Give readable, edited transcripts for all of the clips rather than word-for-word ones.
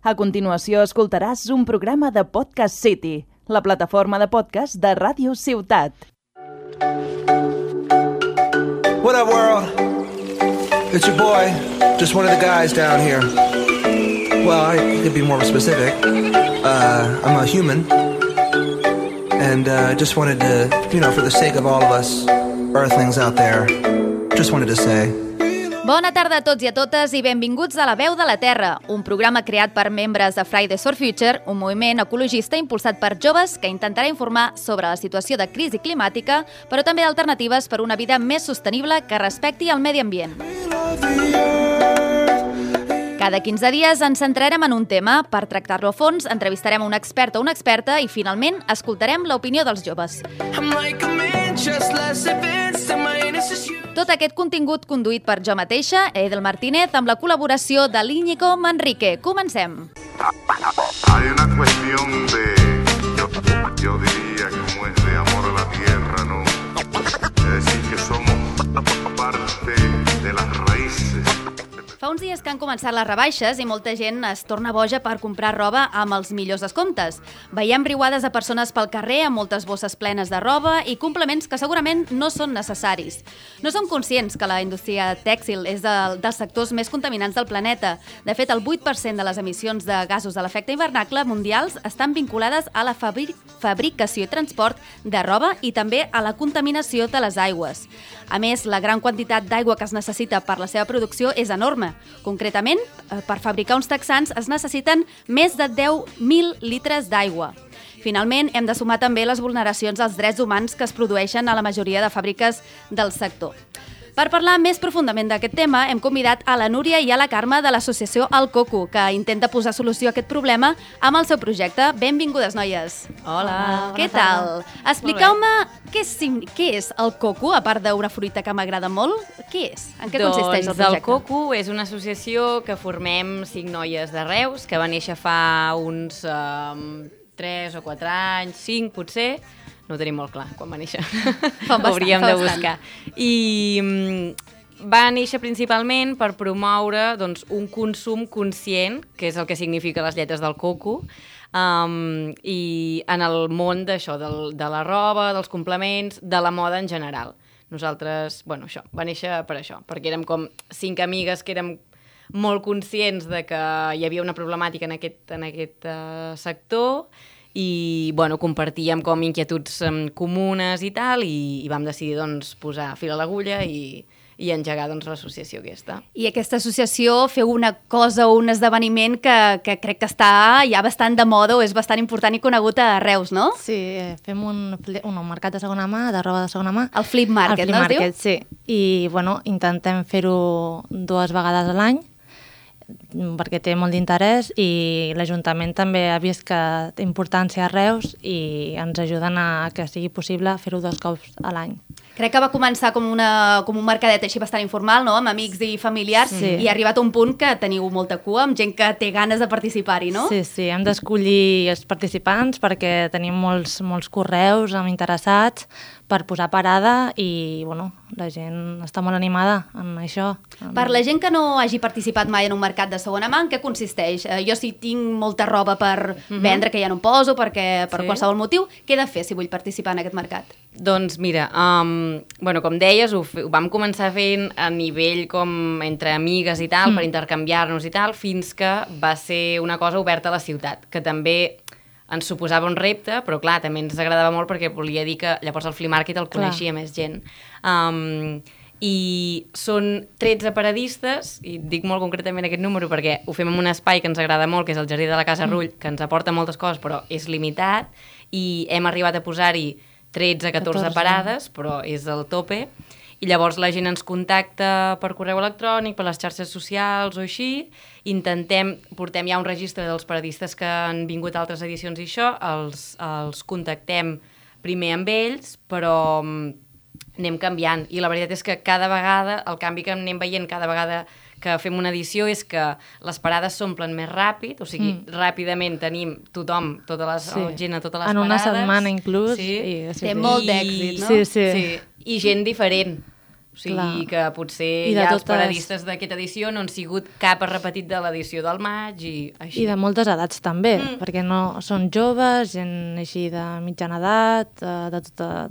A continuació escoltaràs un programa de Podcast City, la plataforma de podcast de Ràdio Ciutat. What up, world? It's your boy, just one of the guys down here. Well, I could be more specific. I'm a human. And just wanted to, for the sake of all of us earthlings out there, just wanted to say... Bona tarda a tots i a totes i benvinguts a La Veu de la Terra, un programa creat per membres de Fridays for Future, un moviment ecologista impulsat per joves que intentarà informar sobre la situació de crisi climàtica, però també d'alternatives per una vida més sostenible que respecti el medi ambient. Cada 15 dies ens centrarem en un tema. Per tractar-lo a fons, entrevistarem un expert o una experta i, finalment, escoltarem l'opinió dels joves. Tot aquest contingut conduït per jo mateixa, Edel Martínez, amb la col·laboració de l'Íñigo Manrique. Comencem! Hay una cuestión de, yo diría, como es de amor a la tierra, ¿no? Es decir, que somos parte de las raíces. Fa uns dies que han començat les rebaixes i molta gent es torna boja per comprar roba amb els millors descomptes. Veiem riuades de persones pel carrer amb moltes bosses plenes de roba i complements que segurament no són necessaris. No som conscients que la indústria tèxtil és dels sectors més contaminants del planeta. De fet, el 8% de les emissions de gasos de l'efecte hivernacle mundials estan vinculades a la fabricació i transport de roba i també a la contaminació de les aigües. A més, la gran quantitat d'aigua que es necessita per la seva producció és enorme. Concretament, per fabricar uns texans es necessiten més de 10.000 litres d'aigua. Finalment, hem de sumar també les vulneracions als drets humans que es produeixen a la majoria de fàbriques del sector. Per parlar més profundament d'aquest tema, hem convidat a la Núria i a la Carme de l'associació El Coco, que intenta posar solució a aquest problema amb el seu projecte. Benvingudes, noies. Hola, Què tal? Expliqueu-me què és el Coco, a part d'una fruita que m'agrada molt. Què és? En què consisteix el projecte? El Coco és una associació que formem 5 noies de Reus, que va néixer fa uns 3 o 4 anys, 5 potser. No ho tenim molt clar, quan va néixer. Hauríem de buscar. I va néixer principalment per promoure un consum conscient, que és el que significa les lletres del coco, i en el món d'això, de la roba, dels complements, de la moda en general. Nosaltres, això, va néixer per això, perquè érem com 5 amigues que érem molt conscients de que hi havia una problemàtica en aquest sector, i compartíem com inquietuds comunes i tal, i vam decidir posar fil a l'agulla i engegar l'associació aquesta. I aquesta associació feu una cosa o un esdeveniment que crec que està ja bastant de moda o és bastant important i conegut a Reus, no? Sí, fem un mercat de segona mà, de roba de segona mà. El Flip Market, no es diu? El Flip Market, sí. I intentem fer-ho 2 vegades a l'any, perquè té molt d'interès i l'Ajuntament també ha vist que té importància a Reus i ens ajuden a que sigui possible fer-ho 2 cops a l'any. Crec que va començar com un mercadet així bastant informal, no? Amb amics i familiars, sí. I ha arribat a un punt que teniu molta cua, amb gent que té ganes de participar-hi, no? Sí, hem d'escollir els participants perquè tenim molts correus amb interessats per posar parada i, la gent està molt animada en això. Per la gent que no hagi participat mai en un mercat de segona mà, en què consisteix? Jo si tinc molta roba per vendre que ja no em poso, per qualsevol motiu, què he de fer si vull participar en aquest mercat? Doncs mira, com deies, ho vam començar fent a nivell com entre amigues i tal, per intercanviar-nos i tal, fins que va ser una cosa oberta a la ciutat, que també ens suposava un repte, però clar, també ens agradava molt perquè volia dir que llavors el Flea Market el coneixia més gent. I són 13 paradistes, i dic molt concretament aquest número perquè ho fem en un espai que ens agrada molt, que és el Jardí de la Casa Rull, que ens aporta moltes coses, però és limitat, i hem arribat a posar-hi 13-14 parades, però és el tope. I llavors la gent ens contacta per correu electrònic, per les xarxes socials o així, portem ja un registre dels paradistes que han vingut a altres edicions i això, els contactem primer amb ells, però anem canviant. I la veritat és que cada vegada, el canvi que anem veient cada vegada que fem una edició és que les parades s'omplen més ràpid, o sigui, ràpidament tenim tothom, gent a totes les parades. En una setmana inclús. Té molt d'èxit, no? Sí. I gent diferent. sigui Clar. que potser I de ja els totes- paradistes d'aquesta edició no han sigut cap repetit de l'edició del maig i així. I de moltes edats també, perquè no són joves, gent així de mitjana edat, de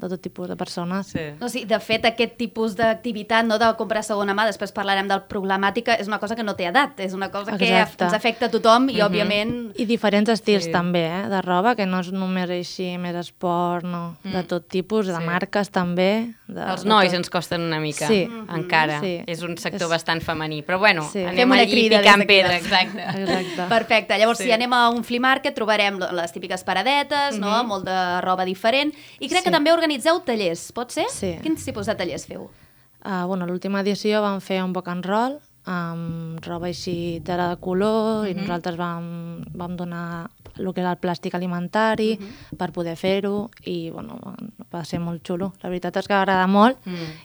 tot tipus de persones. Sí. No, sí, de fet, aquest tipus d'activitat, no, de comprar segona mà, després parlarem del problemàtica, és una cosa que no té edat, és una cosa que Exacte. ens afecta a tothom i, òbviament... I diferents estils Sí. també, de roba, que no és només així, més esport, no, de tot tipus, de marques també. Els nois ens costen una mica, Sí. encara. Sí. És un sector bastant femení. Però bueno, Sí. Fem anem una allí crida picant des d'aquí. pedra, exacte. Exacte. Perfecte. Llavors, si anem a un flea market, trobarem les típiques paradetes, no? Molt de roba diferent. I crec que també organitzeu tallers, pot ser? Sí. Quins tipus de tallers feu? Bueno, l'última edició vam fer un book and roll amb roba així tela de color i nosaltres vam donar el que era el plàstic alimentari per poder fer-ho i bueno, va ser molt xulo. La veritat és que va agradar molt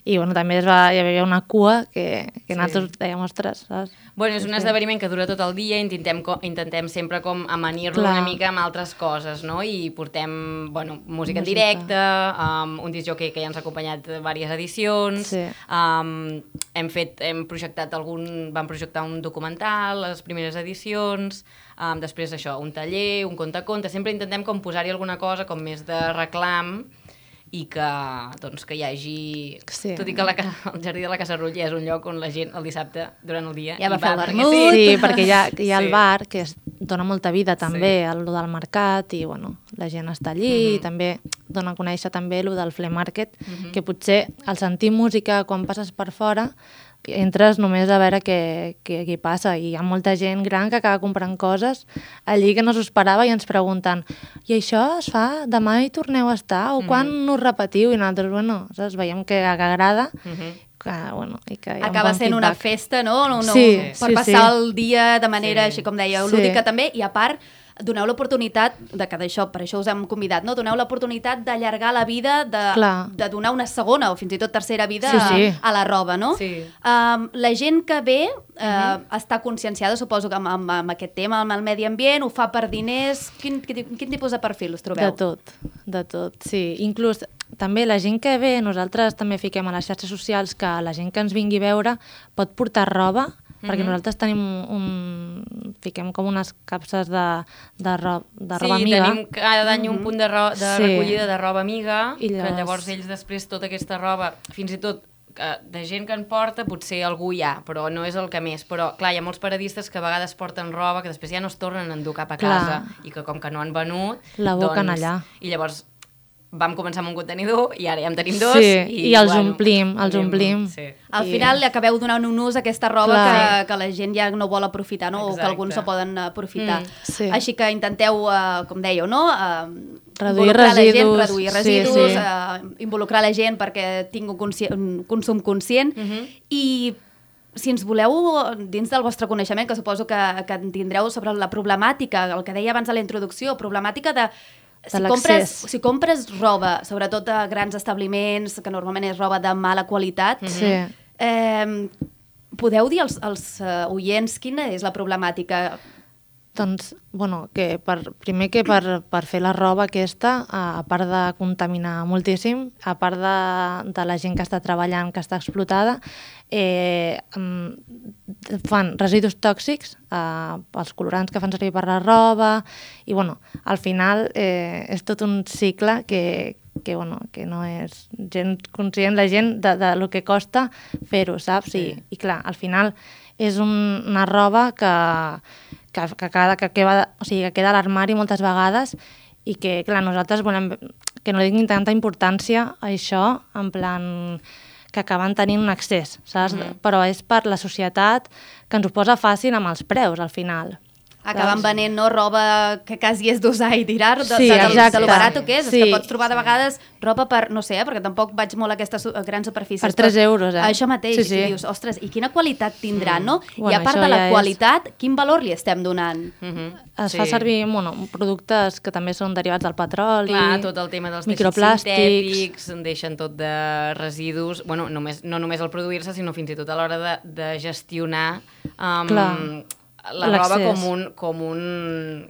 i bueno, també hi havia una cua que nosaltres dèiem, ostres, saps? Bueno, és un esdeveniment que dura tot el dia, intentem sempre com amanir-lo Clar. una mica amb altres coses, no? I portem, bueno, música en Música. directe, un discjòquei que ja ens ha acompanyat diverses edicions, Sí. hem projectat vam projectar un documental, les primeres edicions, després això, un taller, un conte-conte, sempre intentem com posar-hi alguna cosa com més de reclam i que, doncs, que hi hagi... Sí. Tot i que el Jardí de la Casa Rutlla és un lloc on la gent el dissabte, durant el dia, Ja va hi fer el perquè vermut. Sí, perquè hi ha el Sí. bar que dona molta vida també, el del mercat, i bueno, la gent està allí i també dona a conèixer també el del flea market, que potser al sentir música quan passes per fora entres només a veure què passa i hi ha molta gent gran que acaba comprant coses allí que no s'ho esperava i ens pregunten i això es fa? Demà hi torneu a estar? O quan us repetiu? I nosaltres, bueno, saps? Veiem que agrada que, bueno, i que hi ha un Acaba bon sent una feedback. festa, no? Sí, per sí, passar sí. el dia de manera, així com dèieu, Sí. lúdica també, i a part doneu l'oportunitat de que d'això, per això us hem convidat, no? Doneu l'oportunitat d'allargar la vida, Clar. de donar una segona o fins i tot tercera vida Sí, sí. a la roba, no? Sí. La gent que ve està conscienciada, suposo que amb aquest tema, amb el medi ambient, ho fa per diners. Quin tipus de perfil us trobeu? De tot, sí. Inclús també la gent que ve, nosaltres també fiquem a les xarxes socials que la gent que ens vingui a veure pot portar roba, perquè nosaltres tenim fiquem com unes capses de roba amiga. Sí, tenim cada any un punt de Sí. recollida de roba amiga, I que llavors ells després tota aquesta roba, fins i tot de gent que en porta, potser algú hi ha, però no és el que més. Però, clar, hi ha molts paradistes que a vegades porten roba que després ja no es tornen a endur cap a casa i que com que no han venut... La boquen allà. I llavors vam començar amb un contenidor i ara ja en tenim dos. Sí, i els omplim. Sí. Al final li acabeu donant un ús a aquesta roba Clar. que la gent ja no vol aprofitar, no? O que Exacte. alguns no poden aprofitar. Sí. Així que intenteu, com dèieu, no? Reduir Involucrar la gent, residus. reduir Sí, residus, sí. involucrar la gent perquè tingui un consum conscient. I si ens voleu, dins del vostre coneixement, que suposo que en tindreu sobre la problemàtica, el que deia abans a la introducció, problemàtica de l'accés. si compres roba, sobretot a grans establiments, que normalment és roba de mala qualitat, Sí. podeu dir als oients quina és la problemàtica? Doncs, bueno, que primer que per fer la roba aquesta, a part de contaminar moltíssim, a part de la gent que està treballant, que està explotada, fan residus tòxics, els colorants que fan servir per la roba, i bueno, al final és tot un cicle que no és gent conscient, la gent de lo que costa fer-ho, saps? Sí. I clar, al final és una roba que queda a l'armari moltes vegades i que, clar, nosaltres volem que no li tinguin tanta importància a això, en plan que acaben tenint un excés, saps? Però és per la societat que ens ho posa fàcil amb els preus, al final. Acaben venent, no, roba que quasi és d'usar i tirar, Sí, exacte. de lo barat que és. Sí. És que pots trobar de vegades roba per, no sé, perquè tampoc vaig molt a aquestes grans superfícies. Per 3 euros, Això mateix, Sí, sí. i dius, ostres, i quina qualitat tindrà, no? I Bueno, a part això de la ja és- qualitat, quin valor li estem donant? Es fa servir productes que també són derivats del petroli, Clar, tot el tema dels teixits microplàstics. sintètics, en deixen tot de residus, bueno, no només al produir-se, sinó fins i tot a l'hora de gestionar Clar. la roba L'accés.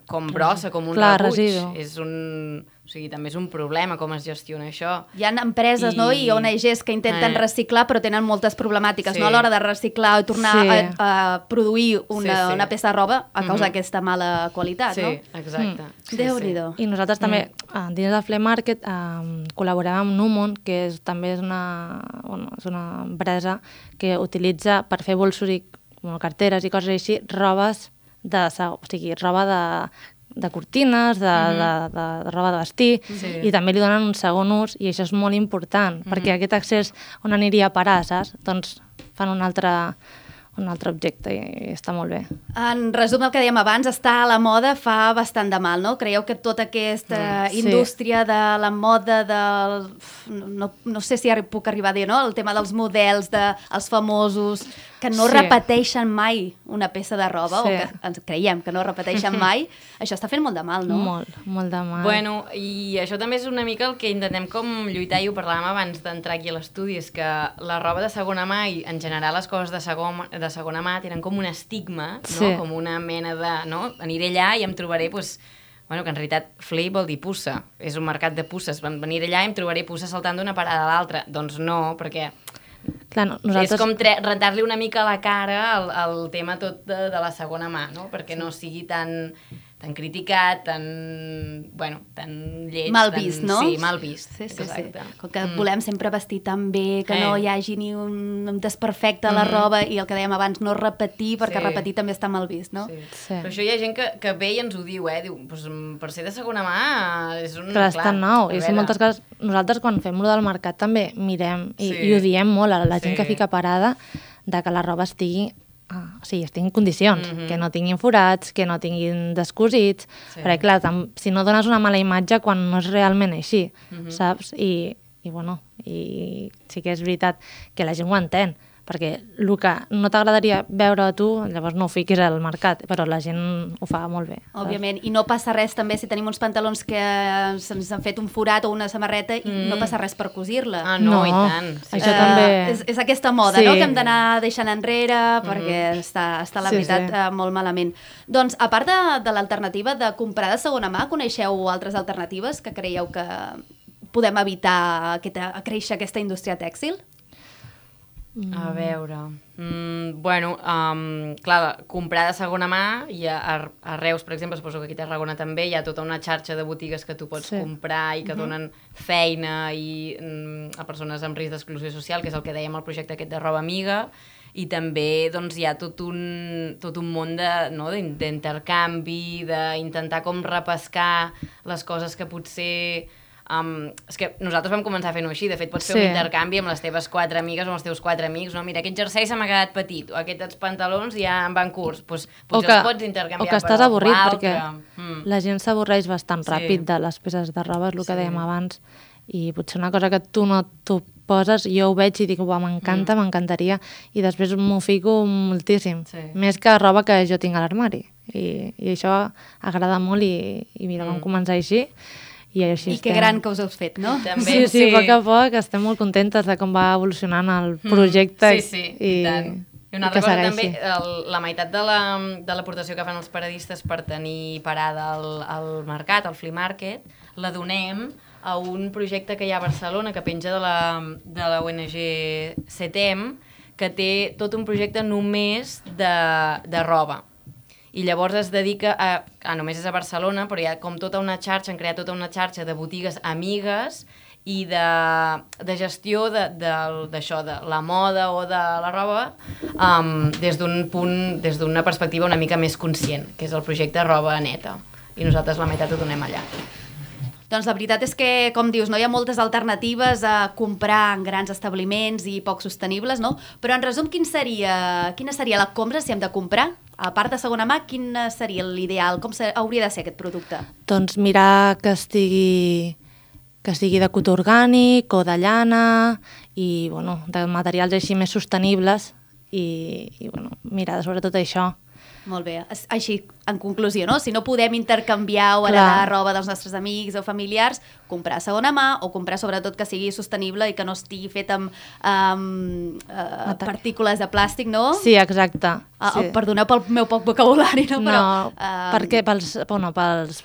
com brossa, com un Clar, rebuig. residu. És un... O sigui, també és un problema com es gestiona això. Hi ha empreses i ONGs que intenten reciclar però tenen moltes problemàtiques a l'hora de reciclar i tornar a produir una peça de roba a causa d'aquesta mala qualitat, no? Sí, exacte. Déu-n'hi-do. I nosaltres també, dins del Flea Market, col·laborem amb Numon, que també és una empresa que utilitza per fer bolsos i carteres i coses així, roba de cortines, de roba de vestir, i també li donen un segon ús, i això és molt important, perquè aquest accés on aniria a parar, saps? Doncs fan un altre objecte i està molt bé. En resum, el que dèiem abans, estar a la moda fa bastant de mal, no? Creieu que tota aquesta indústria de la moda, no sé si puc arribar a dir, no? El tema dels models, dels famosos, que no repeteixen mai una peça de roba, o que ens creiem que no repeteixen mai, això està fent molt de mal, no? Molt de mal. Bueno, i això també és una mica el que intentem com lluitar, i ho parlàvem abans d'entrar aquí a l'estudi, és que la roba de segona mà i en general les coses de segona mà tenen com un estigma, no? Com una mena de... No? Aniré allà i em trobaré, doncs, bueno, que en realitat flea vol dir puça, és un mercat de puces, veniré allà i em trobaré puces saltant d'una parada a l'altra. Doncs no, perquè... Clar, nosaltres... És com rentar-li una mica a la cara el tema tot de la segona mà, no? Perquè no sigui tan criticat, tan lleig. Mal vist, no? Sí, mal vist, exacte. Com que volem sempre vestir tan bé, que no hi hagi ni un desperfecte a la roba, i el que dèiem abans, no repetir, perquè repetir també està mal vist, no? Però això hi ha gent que ve i ens ho diu, diu, per ser de segona mà és un... Però és tan nou, i moltes coses... Nosaltres quan fem lo del mercat també mirem, i ho diem molt a la gent que fica parada, de que la roba estigui en condicions, que no tinguin forats, que no tinguin descosits, perquè clar, si no dones una mala imatge quan no és realment així, saps? I sí que és veritat que la gent ho entén, perquè el que no t'agradaria veure a tu, llavors no ho fiquis al mercat, però la gent ho fa molt bé. Òbviament, i no passa res també si tenim uns pantalons que se'ns han fet un forat o una samarreta i no passa res per cosir-la. Ah, no, i tant. Això també... És aquesta moda, no?, que hem d'anar deixant enrere perquè està la veritat molt malament. Doncs, a part de l'alternativa de comprar de segona mà, coneixeu altres alternatives que creieu que podem evitar créixer aquesta indústria tèxtil? A veure... clar, comprar de segona mà, i a Reus, per exemple, suposo que aquí a Tarragona també, hi ha tota una xarxa de botigues que tu pots comprar i que donen feina a persones amb risc d'exclusió social, que és el que dèiem al projecte aquest de Roba Amiga, i també doncs, hi ha tot un món d'intercanvi, d'intentar com repescar les coses que potser... és que nosaltres vam començar fent-ho així, de fet pots fer un intercanvi amb les teves 4 amigues o amb els teus 4 amics, no? Mira, aquest jersei se m'ha quedat petit, o aquests pantalons ja em van curts, doncs potser els pots intercanviar. O que estàs avorrit, perquè la gent s'avorreix bastant ràpid de les peces de roba, és el que dèiem abans, i potser una cosa que tu no t'ho poses, jo ho veig i dic, m'encanta, m'encantaria, i després m'ho fico moltíssim, més que roba que jo tinc a l'armari, i això agrada molt, i mira, vam començar així. I que gran que us heu fet, no? Sí, a poc estem molt contentes de com va evolucionant el projecte. Sí, i tant. I una altra cosa també, la meitat de l'aportació que fan els paradistes per tenir parada al mercat, al Flea Market, la donem a un projecte que hi ha a Barcelona, que penja de la ONG CETEM, que té tot un projecte només de roba. I llavors es dedica només és a Barcelona, però hi ha com tota una xarxa, han creat tota una xarxa de botigues amigues i de gestió d'això, de la moda o de la roba, des d'una perspectiva una mica més conscient, que és el projecte Roba Neta. I nosaltres la meitat ho donem allà. Doncs la veritat és que, com dius, no hi ha moltes alternatives a comprar en grans establiments i poc sostenibles, no? Però en resum, quina seria la compra si hem de comprar? A part de segona mà, quin seria l'ideal? Com hauria de ser aquest producte? Doncs mirar que estigui de cotó orgànic o de llana i de materials així més sostenibles i mirar sobretot això. Molt bé. Així, en conclusió, no? Si no podem intercanviar o heredar roba dels nostres amics o familiars, comprar segona mà o comprar sobretot que sigui sostenible i que no estigui fet amb partícules de plàstic, no? Sí, exacte. Sí. Perdoneu pel meu poc vocabulari, no? Però, perquè pels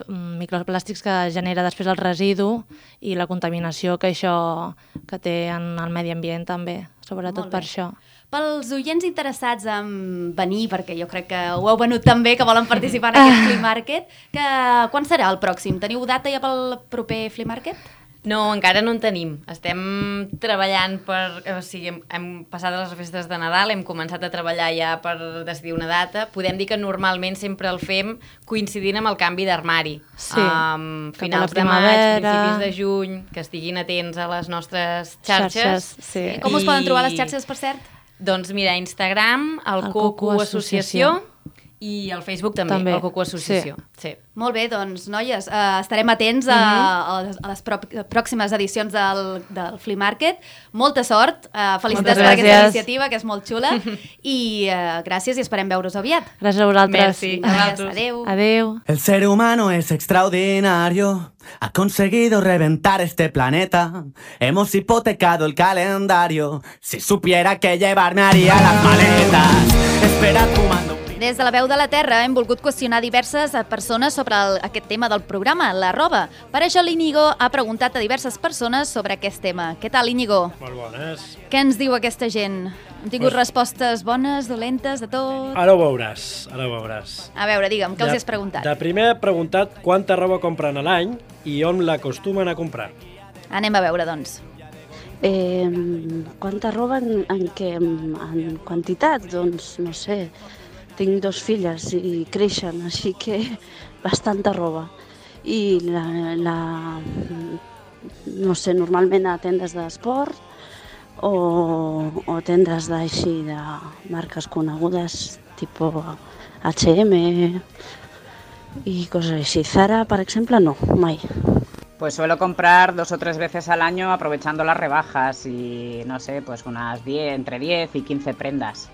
microplàstics que genera després el residu i la contaminació que això que té en el medi ambient també, sobretot per això. Pels oients interessats en venir, perquè jo crec que ho heu venut també, que volen participar en aquest Flea Market, quan serà el pròxim? Teniu data ja pel proper Flea Market? No, encara no en tenim. Estem treballant o sigui, hem passat les festes de Nadal, hem començat a treballar ja per decidir una data. Podem dir que normalment sempre el fem coincidint amb el canvi d'armari. Sí, finals de maig, principis de juny, que estiguin atents a les nostres xarxes. Sí. Com us poden trobar les xarxes, per cert? Doncs mira, Instagram, el Coco Associació, i el Facebook també. El Coco Associació. Sí. Molt bé, doncs, noies, estarem atents a les pròximes edicions del Flea Market. Molta sort, felicitats per aquesta iniciativa, que és molt xula, i gràcies i esperem veure-us aviat. Gràcies a vosaltres. Merci. Adéu. Adéu. El ser humano es extraordinario, ha conseguido reventar este planeta. Hemos hipotecado el calendario, si supiera que llevarme haría las maletas. Espera fumando. Des de la Veu de la Terra hem volgut qüestionar diverses persones sobre aquest tema del programa, la roba. Per això l'Íñigo ha preguntat a diverses persones sobre aquest tema. Què tal, Íñigo? Molt bones. Què ens diu aquesta gent? Hem tingut respostes bones, dolentes, de tot? Ara ho veuràs, ara ho veuràs. A veure, digue'm, què els has preguntat? De primer he preguntat quanta roba compren a l'any i on l'acostumen a comprar. Anem a veure, doncs. Quanta roba en quantitat? Doncs, no sé, tinc 2 filles i creixen, així que bastanta roba. I no sé, normalment a tendes d'esport o tendes d'així de marques conegudes, tipus H&M y cosas así. Zara, por ejemplo, no, mai. Pues suelo comprar 2 o 3 veces al año aprovechando las rebajas y, no sé, pues entre 10 y 15 prendas.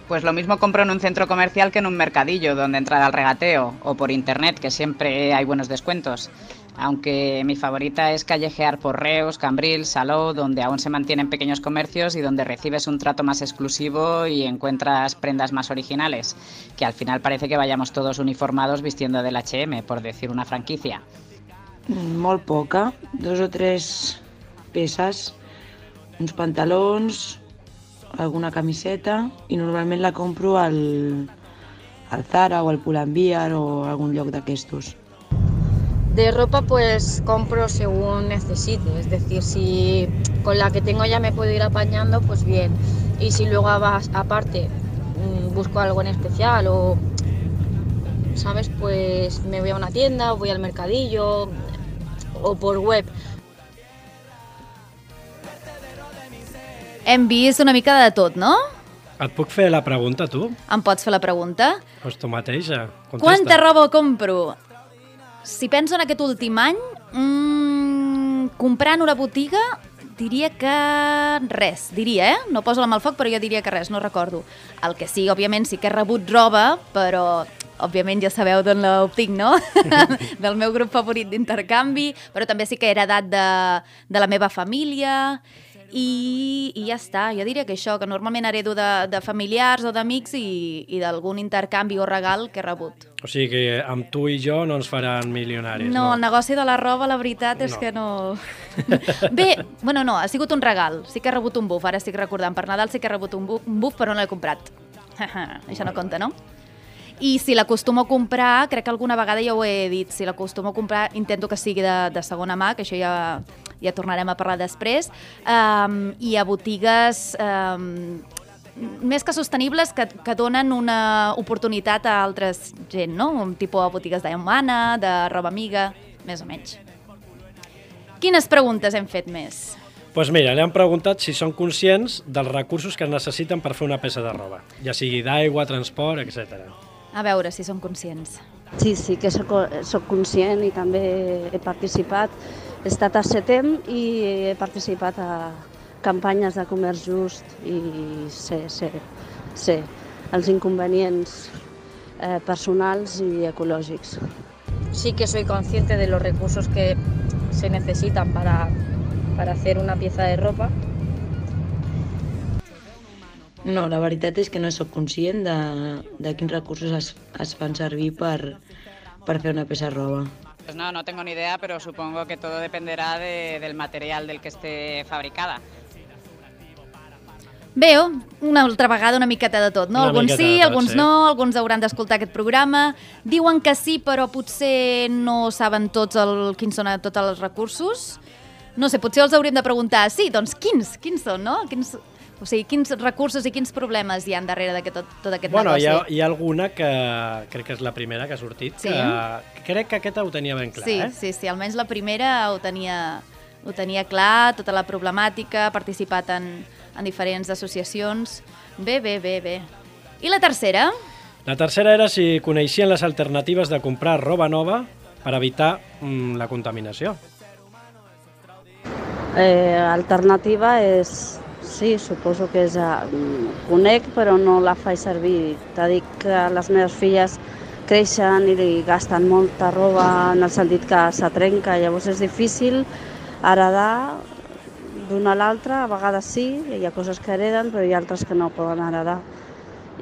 Pues lo mismo compro en un centro comercial que en un mercadillo donde entra al regateo, o por internet, que siempre hay buenos descuentos. Aunque mi favorita es callejear por Reus, Cambrils, Salou, donde aún se mantienen pequeños comercios y donde recibes un trato más exclusivo y encuentras prendas más originales, que al final parece que vayamos todos uniformados vistiendo del H&M, por decir una franquicia. Molt poca, 2 o 3 peces, uns pantalons, alguna camiseta, i normalment la compro al Zara o al Pull&Bear o algun lloc d'aquestos. De ropa pues compro según necesite, es decir, si con la que tengo ya me puedo ir apañando, pues bien. Y si luego aparte busco algo en especial o, ¿sabes? Pues me voy a una tienda o voy al mercadillo o por web. Hem vist una mica de tot, no? Et puc fer la pregunta, tu? Em pots fer la pregunta? Doncs tu mateixa. Contesta. Quanta roba compro? Si penso en aquest últim any, comprar en una botiga, diria que res, no poso la mà al foc, però jo diria que res, no recordo. El que sí, òbviament, sí que he rebut roba, però òbviament ja sabeu d'on l'obtinc, no? Del meu grup favorit d'intercanvi, però també sí que he heredat de la meva família. I ja està, jo diria que això, que normalment heredo de familiars o d'amics i d'algun intercanvi o regal que he rebut. O sigui que amb tu i jo no ens faran milionaris, no? El negoci de la roba, la veritat és que no... Bé, bueno, no, ha sigut un regal. Sí que he rebut un buf, ara estic recordant. Per Nadal sí que he rebut un buf, però no l'he comprat. Això no compta, no? I si l'acostumo a comprar, crec que alguna vegada ja ho he dit, si l'acostumo a comprar intento que sigui de segona mà, que això ja tornarem a parlar després, i a botigues més que sostenibles que donen una oportunitat a altres gent, no? Un tipus de botigues d'Humana, de roba amiga, més o menys. Quines preguntes hem fet més? Doncs mira, li han preguntat si són conscients dels recursos que es necessiten per fer una peça de roba, ja sigui d'aigua, transport, etc. A veure si són conscients. Sí, que soc conscient i també he participat. He estat a CETEM i he participat a campanyes de comerç just i sé els inconvenients personals i ecològics. Sí que soy consciente de los recursos que se necesitan para hacer una pieza de ropa. No, la veritat és que no sóc conscient de quins recursos es fan servir per fer una peça de roba. Pues no tengo ni idea, pero supongo que todo dependerá del material del que esté fabricada. Bé, una altra vegada una miqueta de tot, no? Alguns sí, alguns no, alguns hauran d'escoltar aquest programa. Diuen que sí, però potser no saben quins són tots els recursos. No sé, potser els hauríem de preguntar, sí, doncs quins són, no? O sigui, quins recursos i quins problemes hi ha darrere de tot aquest negoci? Hi ha alguna que crec que és la primera que ha sortit, que crec que aquesta ho tenia ben clar, Sí, almenys la primera ho tenia clar, tota la problemàtica, ha participat en diferents associacions. Bé. I la tercera? La tercera era si coneixien les alternatives de comprar roba nova per evitar la contaminació. Alternativa és... Sí, suposo que és... Conec, però no la faig servir. T'ha dit que les meves filles creixen i gasten molta roba en el sentit que se trenca, llavors és difícil heredar d'una a l'altra, a vegades sí, hi ha coses que hereden, però hi ha altres que no poden heredar.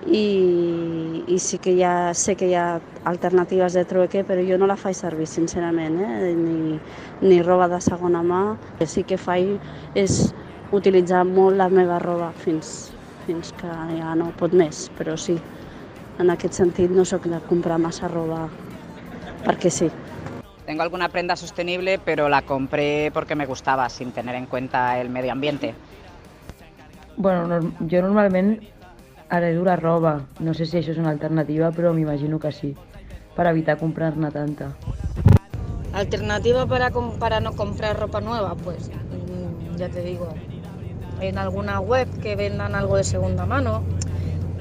I sí que sé que hi ha alternatives de trueque, però jo no la faig servir, sincerament, ni roba de segona mà. El que sí que faig és utilitzar molt la meva roba fins que ja no pot més, però sí, en aquest sentit no soc de comprar massa roba perquè sí. Tengo alguna prenda sostenible, pero la compré porque me gustaba, sin tener en cuenta el medio ambiente. Bueno, jo normalment heredo la roba. No sé si això és una alternativa, però m'imagino que sí, per evitar comprar-ne tanta. Alternativa para no comprar ropa nueva, pues ya te digo, en alguna web que vendan algo de segunda mano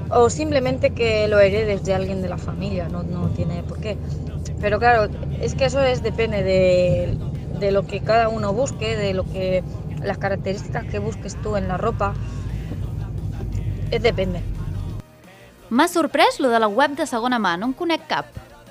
o simplemente que lo heredes de alguien de la familia, no tiene por qué. Pero claro, es que eso depende de lo que cada uno busque, de las características que busques tú en la ropa. Depende. M'ha sorprès lo de la web de segona mà, no en conec cap.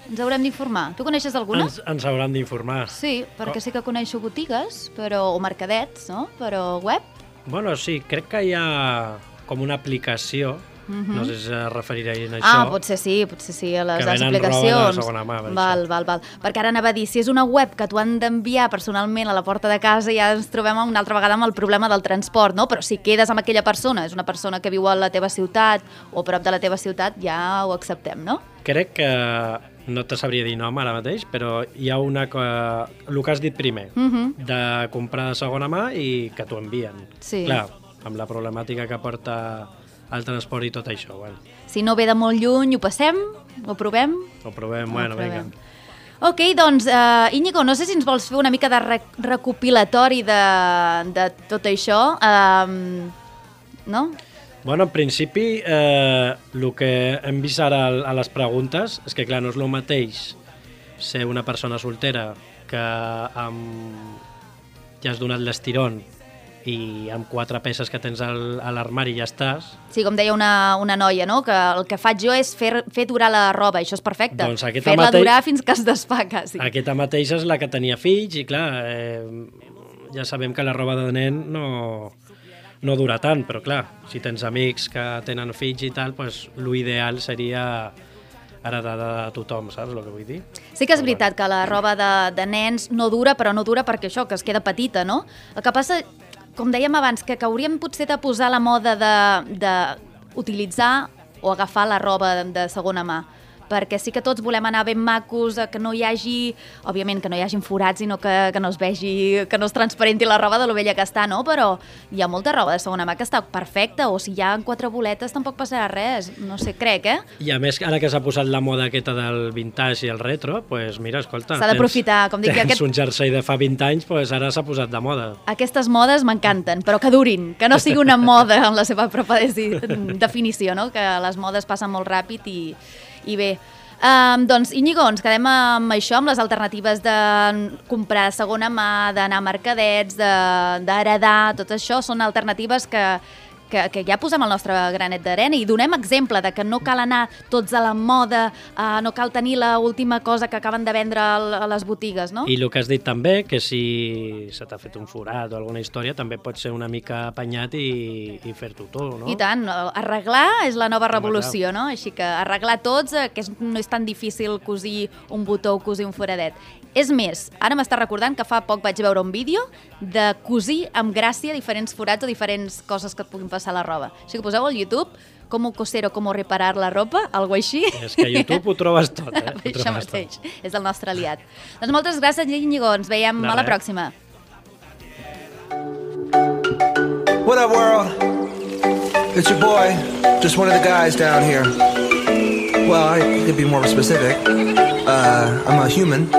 Ens haurem d'informar. Tu coneixes alguna? Ens hauran d'informar. Sí, perquè sí que coneixo botigues o mercadets, no? Però web? Bueno, sí, crec que hi ha com una aplicació, no sé si es referirà a això. Ah, potser sí, a les aplicacions. Que venen roba de segona mà. Val. Perquè ara anava a dir, si és una web que t'ho han d'enviar personalment a la porta de casa, ja ens trobem una altra vegada amb el problema del transport, no? Però si quedes amb aquella persona, és una persona que viu a la teva ciutat o a prop de la teva ciutat, ja ho acceptem, no? Crec que no te sabria dir nom ara mateix, però hi ha una que... El que has dit primer, de comprar de segona mà i que t'ho envien. Sí. Clar, amb la problemàtica que porta el transport i tot això, bueno. Si no ve de molt lluny, ho passem? Ho provem? Ho provem, bueno, vinga. Ok, doncs, Íñigo, no sé si ens vols fer una mica de recopilatori de tot això, no? Bueno, en principi, el que hem vist ara a les preguntes és que, clar, no és el mateix ser una persona soltera que ja has donat l'estirón i amb 4 peces que tens a l'armari ja estàs. Sí, com deia una noia, no? Que el que faig jo és fer durar la roba, això és perfecte. Doncs fer-la durar fins que es desfà, quasi. Aquesta mateixa és la que tenia fills i, clar, ja sabem que la roba de nen no dura tant, però, clar, si tens amics que tenen fills i tal, doncs l'ideal seria heredada de tothom, saps el que vull dir? Sí que és veritat que la roba de nens no dura, però no dura perquè això, que es queda petita, no? El que passa, com dèiem abans, que hauríem potser de posar la moda d'utilitzar o agafar la roba de segona mà, perquè sí que tots volem anar ben macos, que no hi hagi, òbviament que no hi hagin forats, sinó que no es vegi, que no es transparenti la roba de lo vella que està, no? Però hi ha molta roba de segona mà que està perfecta, o si hi ha 4 boletes tampoc passarà res, no sé, crec, I a més, ara que s'ha posat la moda aquesta del vintage i el retro, doncs mira, escolta, s'ha d'aprofitar, com dic, tens un jersei de fa 20 anys, doncs ara s'ha posat de moda. Aquestes modes m'encanten, però que durin, que no sigui una moda en la seva pròpia definició, no? Que les modes passen molt ràpid i bé, doncs Íñigo, ens quedem amb això, amb les alternatives de comprar de segona mà, d'anar a mercadets, d'heredar, tot això són alternatives que que ja posem el nostre granet d'arena i donem exemple de que no cal anar tots a la moda, no cal tenir l'última cosa que acaben de vendre a les botigues, no? I el que has dit també, que si se t'ha fet un forat o alguna història, també pot ser una mica apanyat i fer-t'ho tot, no? I tant, arreglar és la nova revolució, no? Així que arreglar tots, que no és tan difícil cosir un botó o cosir un foradet. És més, ara m'està recordant que fa poc vaig veure un vídeo de cosir amb gràcia diferents forats o diferents coses que et puguin passar a la roba. Així que poseu al YouTube com coser o com reparar la ropa, algo així. És que a YouTube ho trobes tot, eh? Això mateix, és el nostre aliat. Doncs moltes gràcies, Íñigo, ens veiem a la pròxima. What up, world? It's your boy, just one of the guys down here. Well, I could be more specific. I'm a human.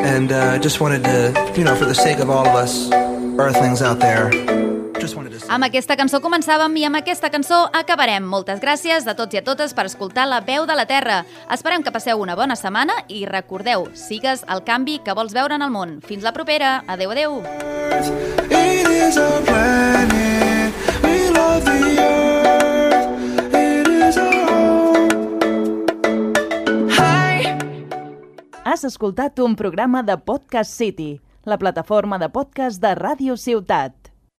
And just wanted to, for the sake of all of us earthlings out there, just wanted to say... Amb aquesta cançó començàvem i amb aquesta cançó acabarem. Moltes gràcies a tots i a totes per escoltar La Veu de la Terra. Esperem que passeu una bona setmana i recordeu, sigues el canvi que vols veure en el món. Fins la propera. Adeu, adeu. It is our planet, we love the earth, it is our home. Hi! Has escoltat un programa de Podcast City, la plataforma de podcast de Ràdio Ciutat.